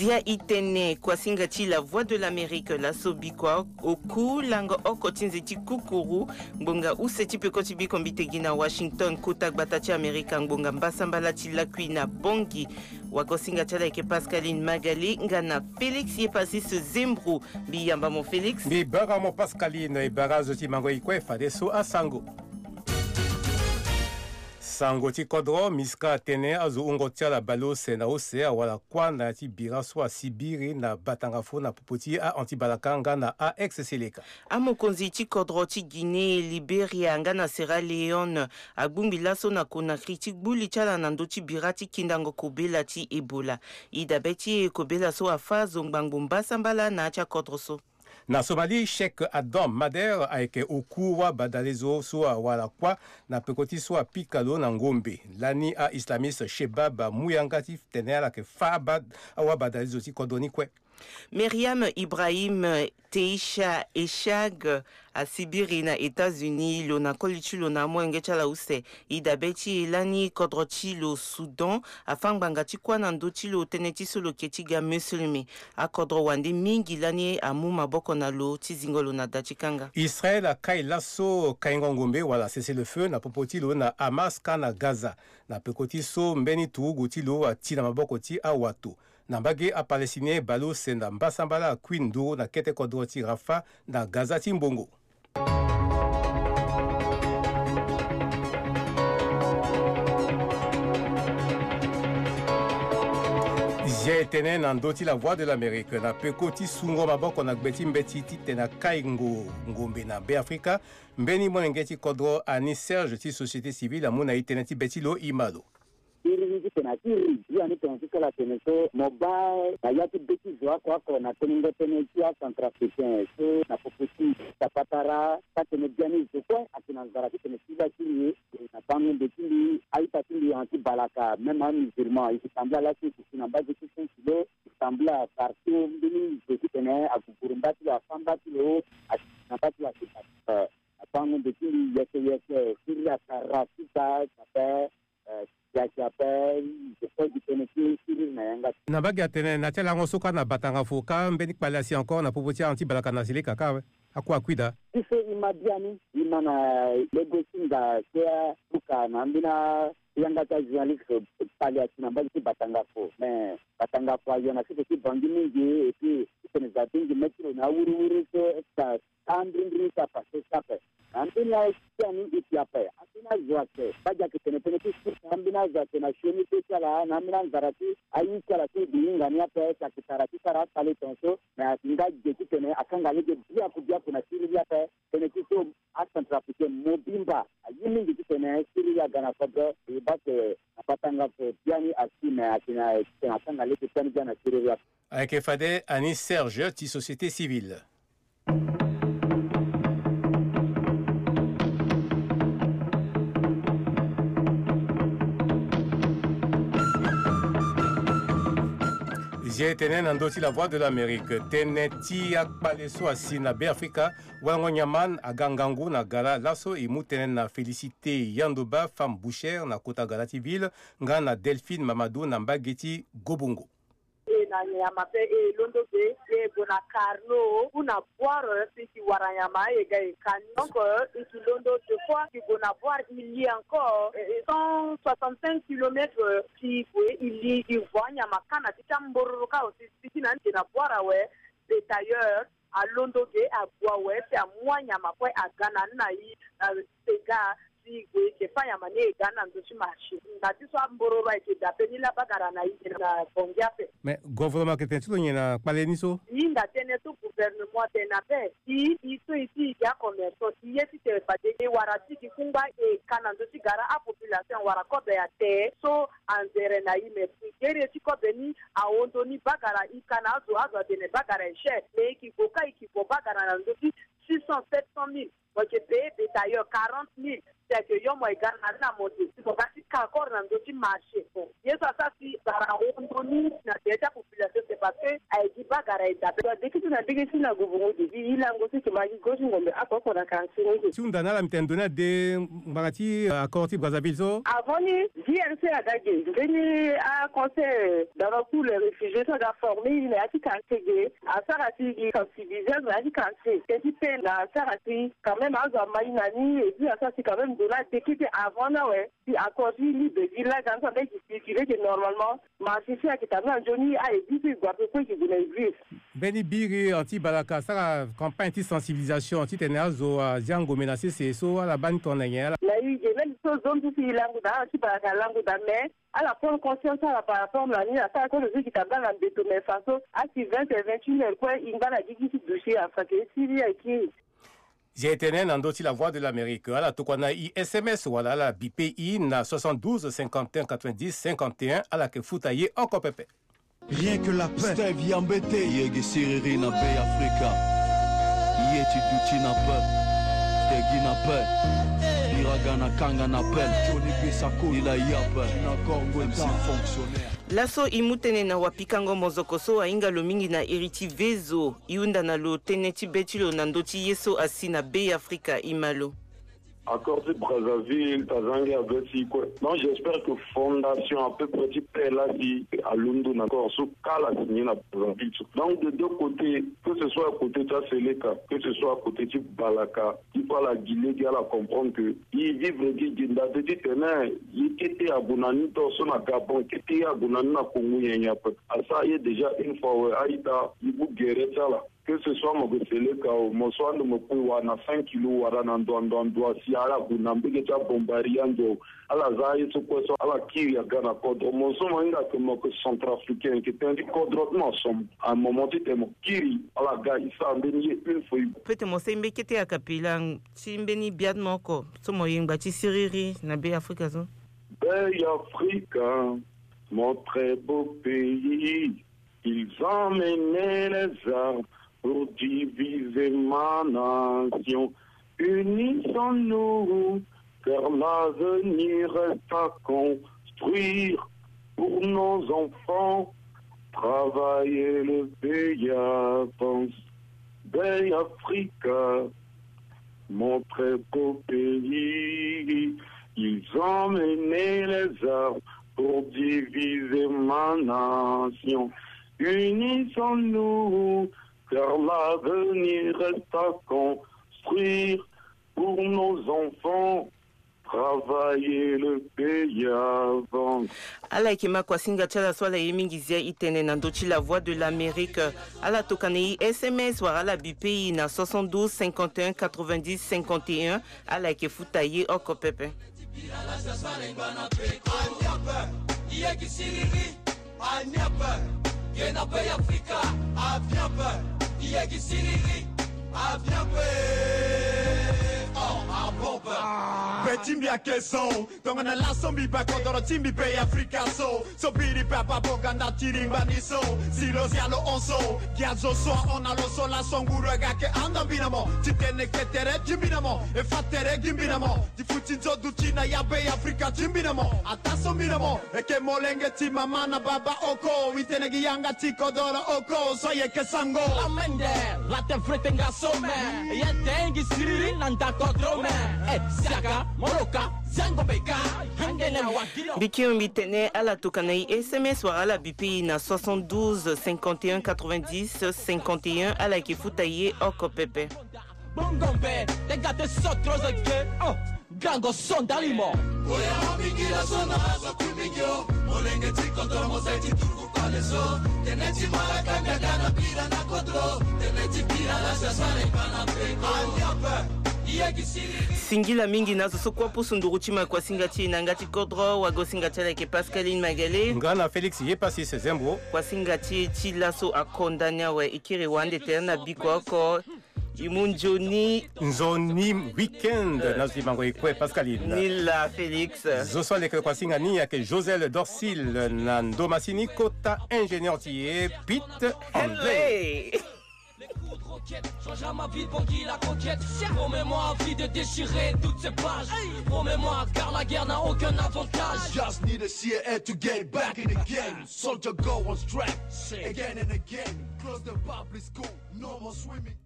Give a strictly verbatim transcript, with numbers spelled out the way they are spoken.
Ya i tene kuasinga ti La Voix de l'Amérique laso bikua oku lango oko ti nze ti kukuru. Ngbonga use ti peko ti biko mbi tegi na Washington, kota gbata ti Amerika, ngbonga mbasambala ti lakui na Bangui. Wagosinga ti ala ayeke Pascaline Magali nga na Félix Yepassis Zembro. Mbi yamba mo Félix. Mbi bara mo Pascaline, e bara azo ti mango e kue fadeso asango. Sango ti kodro, Miska atene azo wungo ti ala baleuse na use awara kuâ na ya ti bira so asibiri na Batangafo na popo ti a-anti-balaka nga na a-ex-Seleka. Amokonzi ti kodro ti Guinée, Liberia nga na Sierra Leone agbongbi laso na Conakry ti gbu li ti ala na ndö ti bira ti kindango kobela ti Ebola. E dabe ti e kobela so afâ azo ngbangbo mbasambala na ya ti akodro so. Na Somalie, Cheikh Adam Mader ayeke oku wabadalezo so awara kuâ na peko ti so apika lo na ngombe. Lani a-islamiste Shebab amu yanga ti tene ala yeke fâ awabadalezo ti kodro ni kue. Myriam Ibrahim Teisha Eshag asibiri na États-Unis lo na koli ti lo na amolenge ti ala use. E dabe ti e lani kodro ti lo Soudan afâ ngbanga ti kuâ na ndö ti lo tënë ti so lo yeke ti ga musulmi. Akodro wande mingi lani amu maboko na lo ti zingo lo na da ti kanga. Israël akai laso kaingo ngombe wala cessez-le-feu na popo ti lo na Hamas kâ na Gaza na peko ti so mbeni turugu ti lo ati na maboko ti awato. Na mbage, aPalestinien baleuse na mbasambala akui nduru na kete kodro ti Rafah na Gaza ti mbongo. Zia e tene na ndö ti La Voix de l'Amérique na peko ti sungo maboko na gbe ti mbeti titene akaingo ngombe na Beafrika, mbeni molenge ti kodro Ani Serge ti société civile amu na e tënë ti be ti lo, e ma lo. Iri ni titene akiri, ye ani tongana ti sara tene so mo baa na ya ti be ti zo oko oko na tenengo tënë ti aCentrafricain so na popo ti tapatara, ka tene biani zo kue ayeke na nzara titene ti baa ti ye. Na bango nde ti mbi, a-ita ti mbi anti-balaka, même amusulman, e yeke tambula laso e yeke si na mbage ti Saint-Kilo, e tambula partout, mbeni zo titene aguguru mba ti lo, afâ mba ti lo, asi na mba ti lo, asi na bango nde ti mbi yeke yeke, siriri atara ti da, ape, eh, yake ape, je crois que tënë ti siriri na yanga. Na mbage atene na ti alango so kâ na Batangafo kâ mbeni kpale asi encore na popo ti anti-balaka na Seleka kâ awe. Akua akui daa. Ti so e ma biani, e ma na lege ti nda ti abuka na ambeni ayanga ti ajournaliste kpale asi na mbage ti Batangafo. Mais Batangafo ayo na sese ti Bangui mingi, et puis titene za bingbi me ti lo na awiriwiri so, est-ce que ambrimbri ti apasse ti ape. Na ambeni aye ti ani e si ape, ambeni azo ayeke, mbage ayeke tene tënë ti si na ambeni azo ayeke na sioni be ti ala, na ambeni anzara ti aye ti ala so e bi hinga ni ape, si ayeke tara ti sara akpale tongaso. Me ayeke nga ge titene akanga lege biaku biaku na siriri ape. Tënë ti so aCentrafricain mobimba aye mingi titene siriri aga na kodro. E baa ke na Batangafo biani asi, me ayeke na titene akanga lege biani biani na siriri ape. Ayeke fade Ani Serge ti société civile. Zia e tene na ndö ti La Voix de l'Amérique, tënë ti akpale so asi na Beafrika, walango nyama aga ngangu na gara laso e mu tënë na Félicité Yandoba, femme bouchère na kota gara ti ville, nga na Delphine Mamadou na mbage ti Gobongo. E na nyama pe e londo ge, e gue na Carnot, ou na Boire, si e wara nyama, e ga e kani. Donc, euh, e londo deux fois, e gue na Boire, e li encore, euh, cent soixante-cinq kilomètres, euh, si e gue, e li, e vo anyama kâ na ti ti ambororo kâ aussi, si e na, e na Boire awe, bétailleur, alondo ge, ague awe, si amu anyama kue aga na ni na e, euh, sega, si e gue, e ke fâ nyama ni e ga na ndö ti marché. Na ti so ambororo ayeke daa pe ni laa bagara na e na Bangui ape. Mais gouvernement ayeke tene ti lo nyen na kpale ni so? E hinga tënë so gouvernement atene ape. E, e so e ti e gi acommerçant, e ye titene fade e wara ti gi kungba e ka na ndö ti gara apopulation awara kobe ate so anzere na e, mais gere ti kobe ni ahon ndoni bagara e ka na azo, azo atene bagara e cher, mais e ke gue kâ e ke gue bagara na ndö ti six cent, sept cent mille. Mo yeke payé bétailleur quarante mille. Si ayeke yo mo ye ga na ala mo de, si mo ga ti ka encore na ndö ti marché. Bon, ye so asara si bara ahon ndoni na tere ti apopulation, c'est Parce que aye gi bagara e dape. Adeke ti na ndege ti na guvungu di gi lango ti ke ma gi go ti ngombe oko oko na quartier ni ke. Ti hunda na ala mbi tene ndo ni ade ngbanga ti, euh, accord ti Brazzaville so. Avant ni J R C aga ge, mbeni aconseil dans le cours les réfugiés so aga former ye na ya ti quartier ge. Asara si gi sensibilisation na ya ti quartier. Teti pe na asara si quand même azo ama ye na ni, et puis asara si quand même ndo ni adeke ti avant ni awe. Si accord ti libre ti laga ni so ande gi circuler ge normalement. Marché ti ayeke tambula nzoni, aye gi so e gue ape kue e yeke gue na église. Mbeni biri anti balaka asara campagne ti sensibilisation titene azo azia ngombe na sese so ala baa ni tongana nyen ala. Na e ge même so zo ni so si e lango daa anti balaka alango daa mais ala prendre conscience ala par rapport na ni asara kue lo zo e yeke tambula na mbeto mais faso asi vingt et vingt et une heures kue e ngba na gigi ti duti afake ti siri aye kiri. Zia e tene na ndö ti La Voix de l'Amérique, ala tokua na e S M S wala ala bipe e na soixante-douze cinquante et un quatre-vingt-dix cinquante et un, ala yeke futa ye oko pepe. Rien que la paix. Steve Yambete. Ye gi siriri na Bêafrika. Ye ti duti na paix. Te gi na paix. Biraga na kanga na paix. Johnny Bisako. Il a ya paix. Na Congo ti fonctionnaire. Laso e mu tënë na wapikango mozoko so ahinga lo mingi na iri ti Vezo. E hunda na lo tënë ti be ti lo na ndö ti ye so asi na Bêafrika, e ma lo. Accord ti Brazzaville, ta zangi abe ti kue. Donc, j'espère que fondation à peu près ti paix la si alondo na accord so kala signé na Brazzaville so. Donc, de deux côtés, que ce soit côté ti aSeleka, que ce soit côté ti Balaka, il faut ala gi lege ala comprendre que e vivre gi gi nda ti tene ye kete ague na ni tongaso na Gabon, kete ye ague na ni na Congo nyen nyen ape. Asara ye déjà une fois awe, a-ita, e mu gere ti ala. Que ce soit mo ke Seleka o, mo so ande mo kue wara na cinq kilos wala na ndo ndo ndo, si ala gue na mbege ti abombari ande o, ala za ye so kue so ala kiri aga na kodro. Mo so mo hinga ke mo ke centrafricain, ke tënë ti kodro ti mo asomo. À un moment ti tene mo kiri, ala ga e sara mbeni ye une fois. Peut-être mo sara mbeni kete akapela ti mbeni bia ti mo oko so mo yengba ti siriri na Bêafrika so. Bêafrika, mon très beau pays. Ils ont mené les armes pour diviser ma nation. Unissons-nous, car l'avenir reste à construire pour nos enfants. Travailler, le pays avance. Bêafrika, mon très beau pays. Ils ont mené les armes pour diviser ma nation. Unissons-nous, car l'avenir reste à construire pour nos enfants. Travailler, le pays avance. Ala yeke ma kuasinga ti ala so ala ye mingi zia e tene na ndö ti La Voix de l'Amérique. Ala tokana e S M S wala ala bipe e na soixante-douze cinquante et un quatre-vingt-dix cinquante et un. Ala yeke futa ye oko pepe. Aniape, ye gi siriri. Aniape, ye na Bêafrika. Aviape, ye gi siriri. Aviape, oh, abombe. Be ti mbi ayeke so, tongana laso mbi baa kodoro ti mbi Bêafrika so. So biri pe abaa bonga nda ti ringba ni so. Si lo zia lo hon so, gi azo so ahon na lo so, laso nguru aga ayeke handa mbi na mo. Ti tene ke tere ti mbi na mo, e fa tere gi mbi na mo. Ti futi nzo duti na ya Bêafrika ti mbi na mo. Ataa so mbi na mo, e yeke molenge ti mama na baba oko. E tene gi yanga ti kodoro oko so e yeke sango. Lamende, la te vrete nga so me. Ye te gi siriri na nda kodro me. E, siaka, moloka, zango beka, yangene wa. Mbi kiri mbi tene ala tokana e S M S wala ala bipe e na soixante-douze cinquante et un quatre-vingt-dix cinquante et un, ala yeke futa ye oko pepe. Bongo mbe, te ga te so tro zo ge, oh, gango so ndali mo. Oya mingi la so na azo ku mingi o, molenge ti kodro mo sai ti turuku pale so, tene ti malaka miaga na bira na kodro, tene ti bira la sa sare pa na pe. Aniape, ye gi siriri. Singila mingi na azo so kue apusu nduru ti ma kuasinga ti e na yanga ti kodro. Wagosinga ti ala ayeke Pascaline Magale. Nga na Félix Yepassis Zembo. Kuasinga ti e ti laso akonda ni awe. E kiri wande tere na biko oko. E mu nzoni. Nzoni week-end na azo ti bango e kue, Pascaline. Ni laa, Félix. Zo so aleke kuasinga ni ayeke Josel Dorsil na ndo masini kota ingénieur ti e Pete André. Hello. Changera ma vie, Bangui la conquête. Promets-moi à vie de déchirer toutes ces pages. Promets-moi, car la guerre n'a aucun avantage. Just need a C A A to get back in the game. Soldier go on strike again and again. Close the public school, no more swimming.